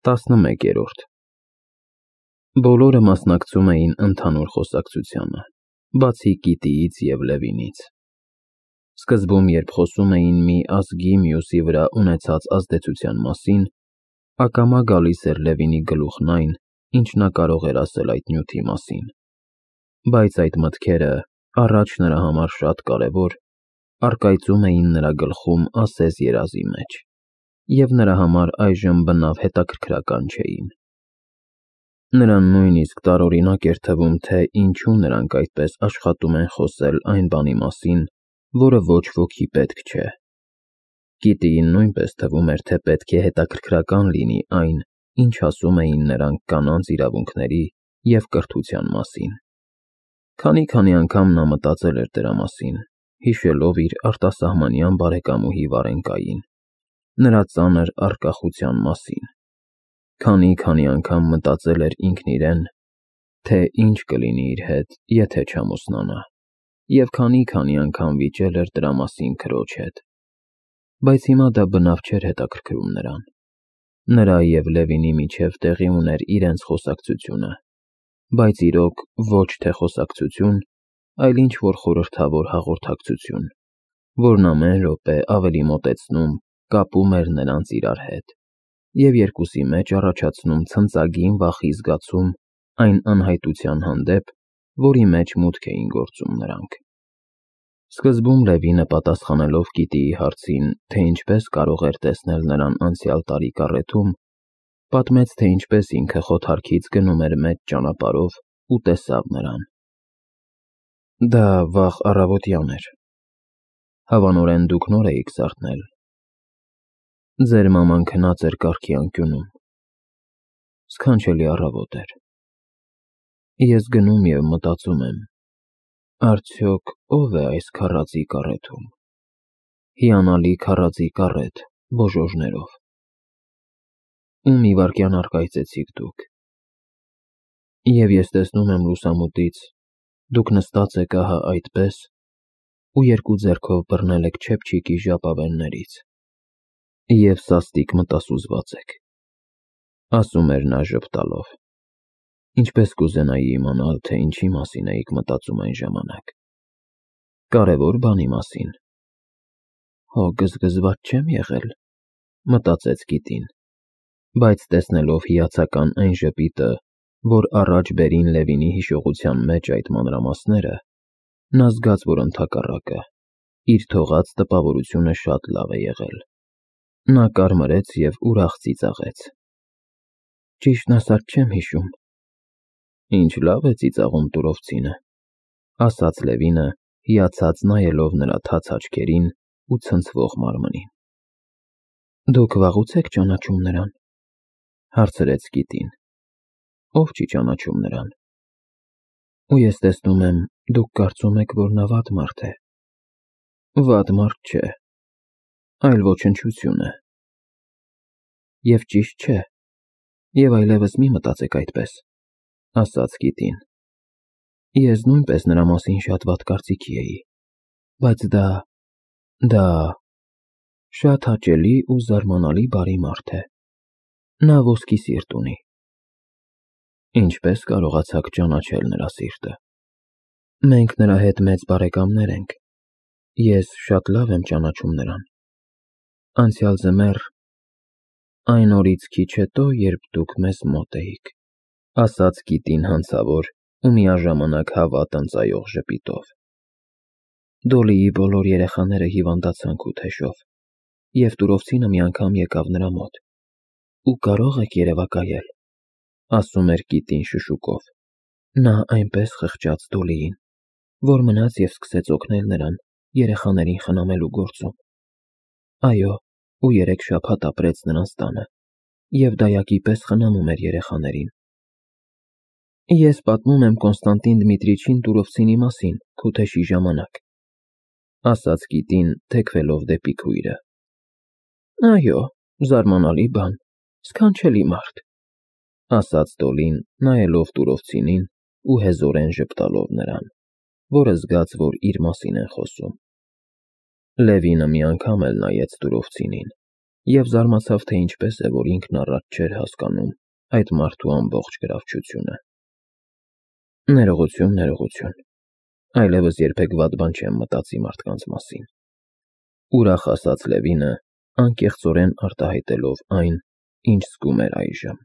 11-րդ Բոլորը մասնակցում էին ընդհանուր խոսակցությանը, բացի Կիտիից և Լևինից։ Սկզբում, երբ խոսում էին մի ազգի մյուսի վրա ունեցած ազդեցության մասին, ակամա գալիս էր Լևինի գլուխն այն, ինչ նա կարող էր ասել այդ նյութի մասին։ Բայց այդ մտքերը, առաջ նրա համար շատ կարևոր, առկայծում էին նրա գլխում ասես երազի մեջ, և նրա համար այժմ բնավ հետաքրքրական չէին։ Նրան նույնիսկ տարօրինակ էր թվում, թե ինչու նրանք այդպես աշխատում են խոսել այն բանի մասին, որը ոչ ոքի պետք չէ։ Կիտիին նույնպես թվում էր, թե պետք է հետաքրքրական լինի այն, ինչ ասում էին նրանք կանանց իրավունքների և կրթության մասին։ Քանի անգամ նա մտածել էր դրա մասին, հիշելով իր արտասահմանյան բարեկամուհի Վարենկային, նրա ծանր առկախության մասին։ Քանի անգամ մտածել էր ինքն իրեն, թե ինչ կլինի իր հետ, եթե չամուսնանա, և քանի անգամ վիճել էր դրա մասին քրոջ հետ։ Բայց հիմա դա բնավ չէր հետաքրքրում նրան։ Նրա և Լևինի միջև տեղի ուներ իրենց խոսակցությունը, բայց իրոք ոչ թե խոսակցություն, այլ ինչ-որ խորհրդավոր հաղորդակցություն, որն ամեն րոպե ավելի մոտեցնում, կապում էր նրանց իրար հետ, և երկուսի մեջ առաջացնում ցնծագին վախի զգացում այն անհայտության հանդեպ, որի մեջ մուտք էին գործում նրանք։ Սկզբում Լևինը, պատասխանելով Կիտիի հարցին, թե ինչպես կարող էր տեսնել նրան անցյալ տարի կառեթում, պատմեց, թե ինչպես ինքը խոթարքից գնում էր մեծ ճանապարհով ու տեսավ նրան։ Դա վաղ առավոտյան էր։ Հավանորեն դուք նոր էիք զարթնել։ Ձեր մաման քնած էր կառքի անկյունում։ Սքանչելի առավոտ էր։ Ես գնում և մտածում եմ. արդյոք ով է այս քառածի կառեթում։ Հիանալի քառածի կառեթ, բոժոժներով։ Ու մի վայրկյան առկայծեցիք դուք։ Եվ ես տեսնում եմ լուսամուտից, դուք նստած եք ահա այդպես, ու երկու ձեռքով բռնել եք չեփչիկի ժապավեններից, և սաստիկ մտասուզված եք, ասում էր նա ժպտալով։ Ինչպես կուզենայի իմանալ, թե ինչի մասին էիք մտածում այն ժամանակ։ Կարևոր բանի մասին։ Հո գզգզված չեմ եղել, մտածեց Կիտին, բայց տեսնելով հիացական այն ժպիտը, որ առաջ բերին Լևինի հիշողության մեջ այդ մանրամասները, նա զգաց, որ ընդհակառակը, իր թողած տպավորությունը շատ լավ է եղել։ Նա կարմրեց և ուրախ ծիծաղեց։ Ճիշտն ասած չեմ հիշում։ Ինչ լավ է ծիծաղում տուրովցինը, ասաց Լևինը, հիացած նայելով նրա թաց աչքերին ու ցնցվող մարմնին։ Դուք վաղուց եք ճանաչում նրան, հարցրեց Կիտին։ Ով չի ճանաչում նրան։ Ու ես տեսնում եմ, դուք կարծում եք, որ նա վատ մարդ է։ Վատ մարդ չէ, այլ ոչնչություն է։ Եվ ճիշտ չէ, և այլևս մի մտածեք այդպես, ասաց Կիտին։ Ես նույնպես նրա մասին շատ վատ կարծիքի էի, բայց դա շատ հաճելի ու զարմանալի բարի մարդ է։ Նա ոսկի սիրտ ունի։ Ինչպես կարողացաք ճանաչել նրա սիրտը։ Մենք նրա հետ մեծ բարեկամներ ենք։ Ես շատ լավ եմ ճանաչում նրան։ Անցյալ ձմեռ, այն օրից քիչ հետո, երբ դուք մեզ մոտ էիք, ասաց Կիտին հանցավոր ու միաժամանակ հավատ ընծայող ժպիտով։ Դոլիի բոլոր երեխաները հիվանդացան քութեշով, և տուրովցինը մի անգամ եկավ նրա մոտ։ Ու կարող եք երևակայել, ասում էր Կիտին շշուկով։ Նա այնպես խղճաց Դոլիին, որ մնաց և սկսեց օգնել նրան երեխաներին խնամելու գործում։ Այո, ու 3 շաբաթ ապրեց նրանց տանը, և դայակի պես խնամում էր երեխաներին։ Ես պատմում եմ Կոնստանտին Դմիտրիչին տուրովցինի մասին քութեշի ժամանակ, ասաց Կիտին, թեքվելով դեպի քույրը։ Այո, զարմանալի բան, սքանչելի մարդ, ասաց Դոլին, նայելով տուրովցինին ու հեզորեն ժպտալով նրան, որը զգաց, որ իր մասին են խոսում։ Լևինը մի անգամ էլ նայեց տուրովցինին, Եվ զարմացավ, թե ինչպես է, որ ինքն առաջ չէր հասկանում այդ մարդու ամբողջ գրավչությունը։ Ներողություն, ներողություն։ Այլևս երբեք վատ բան չեմ մտածի մարդկանց մասին։ Ուրախ ասաց Լևինը, անկեղծորեն արտահայտելով այն, ինչ զգում էր այժմ։